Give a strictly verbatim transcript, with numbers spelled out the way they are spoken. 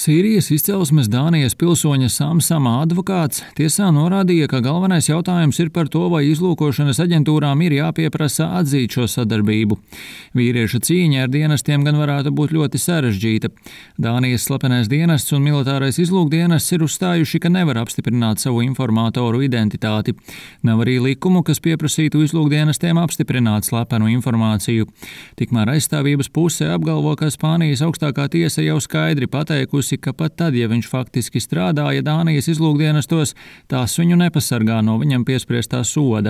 Sīrijas izcelsmes Dānijas pilsoņa Samsama advokāts tiesā norādīja, ka galvenais jautājums ir par to, vai izlūkošanas aģentūrām ir jāpieprasa atzīt šo sadarbību. Vīrieša cīņa ar dienestiem gan varētu būt ļoti sarežģīta. Dānijas slepenais dienests un militārais izlūkdienests ir uzstājuši, ka nevar apstiprināt savu informatoru identitāti. Nav arī likumu, kas pieprasītu izlūkdienestiem apstiprināt slepenu informāciju. Tikmēr aizstāvības puse apgalvo, ka Spānijas augstākā tiesa jau skaidri pateikusi, ka pat tad, ja viņš faktiski strādāja Dānijas izlūkdienestos, tās viņu nepasargā no viņam piespriestā soda.